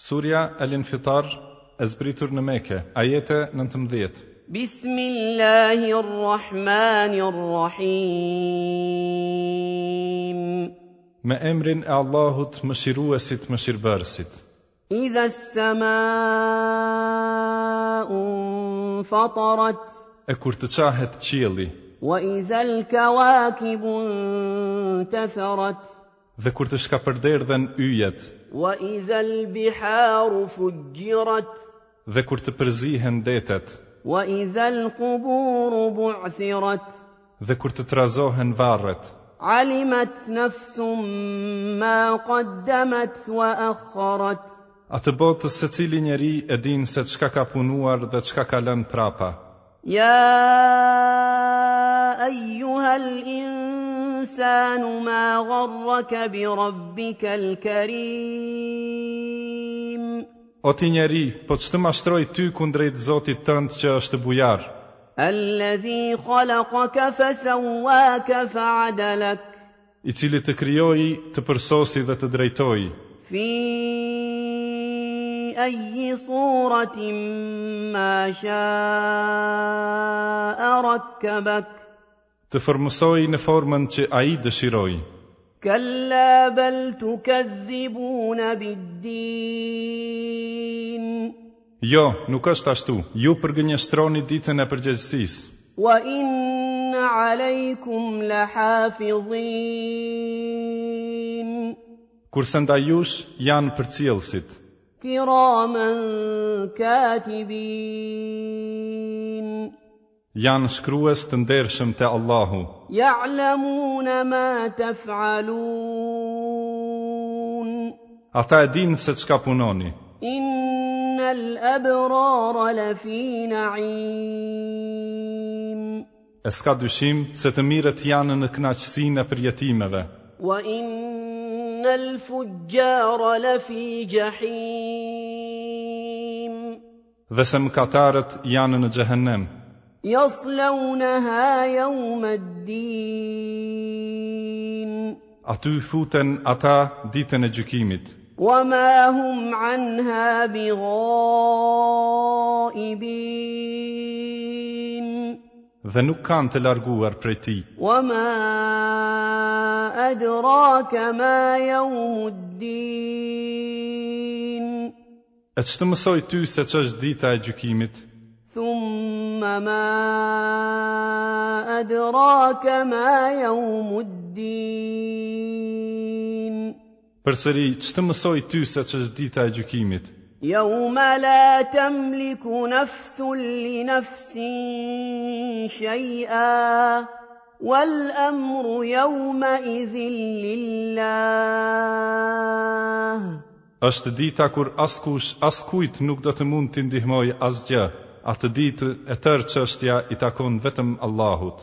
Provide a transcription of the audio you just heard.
Surja El-Infitar e zbritur në Mekë, ajete 19. Bismillahirrahmanirrahim. Me emrin e Allahut, Mëshiruesit, Mëshirbërësit. Idha as-sama'u infatarat. E kur të çahet qielli. Wa idha al-kawakibu intatharat. Dhe kur të shkapërderdhen yjet. Wa idha al-biharu fujjirat. Dhe kur të përzihen detet. Wa idha al-quburu bu'thirat. Dhe kur të trazohen varret. Alimat nafsum ma qaddamat wa akharat. Atëbotë secili njeri e din se çka ka punuar dhe çka ka lënë prapa. Ja ejuha l-insanu ma gharraka bi rabbika l-karim. O ti njeri, po ç'të mashtroi ty kundrejt Zotit tënd që është bujar? Alladhi khalaqaka fasawwaka fa'adalak. I cili të krijoi, të përsosi dhe të drejtoi. Fi ayyi suratin ma sha'a rakkabak. Të formësoi në formën që ai dëshiroi. Kalla bal tukadhibuna bid-din. Jo, nuk është ashtu. Ju përgënjeshtroni ditën e përgjegjësisë. Wa inna alejkum lahafidhin. Kurse ndaj jush janë përcjellësit. Kiramen katibin. Janë shkrues të ndershëm te Allahu. Ya'lamuna ma taf'alun. Ata e dinë se çka punoni. Innal abrara lafi na'im. E s'ka dyshim se të mirët janë në kënaqësinë e përjetimeve. Wa innal fujjara lafi jahim. Dhe se mëkatarët janë në xhehenem. Yaslawnaha yawma ad-din. Aty futen ata ditën e gjykimit. Wa ma hum anha bighaibin. Dhe nuk kanë të larguar prej tij. Wa ma adraka ma yawmuddin. E ç'të mësoi ty se ç'është dita e gjykimit? Thumma ma adraka ma yawmuddin. Përsëri, ç'të mësoi ty se ç'është dita e gjykimit? Yawma la tamliku nafsun li nafsin shay'a wal amru yawma idhin lillah. Është dita kur askush askujt nuk do të mund t'i ndihmojë asgjë, atë ditë e tërë çështja i takon vetëm Allahut.